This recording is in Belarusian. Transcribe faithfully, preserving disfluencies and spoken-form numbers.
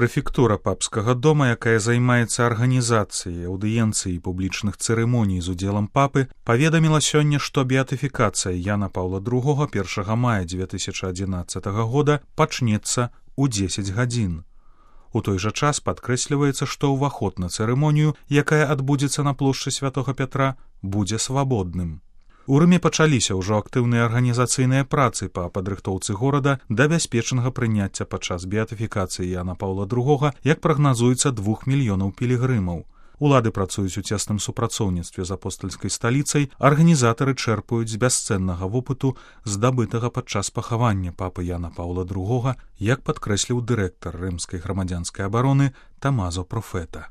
Прэфектура папскага дома, якая займаецца арганізацыяй аўдыенцыі і публічных цырымоній з удзелам папы, паведаміла сёння, што беатыфікацыя Яна Паўла другога першага мая дзве тысячы адзінаццатага года пачнецца ў дзесяць гадзін. У той жа час падкрэсліваецца, што ўваход на цырымонію, якая адбудзецца на плошчы Святога Пятра, будзе свабодным. У Рыме пачаліся ўжо актыўныя арганізацыйныя працы па падрыхтоўцы горада да бяспечнага прыняцця падчас беатыфікацыі Яна Паўла другога, як прагназуецца, двух мільёнаў пілігрымаў. Улады працуюць у цесным супрацоўніцтве з апостальскай сталіцай, арганізатары чэрпаюць з бясцэннага вопыту, здабытага падчас пахавання папы Яна Паўла другога, як падкрэсліў дырэктар рымскай грамадзянскай абароны Тамазо Профета.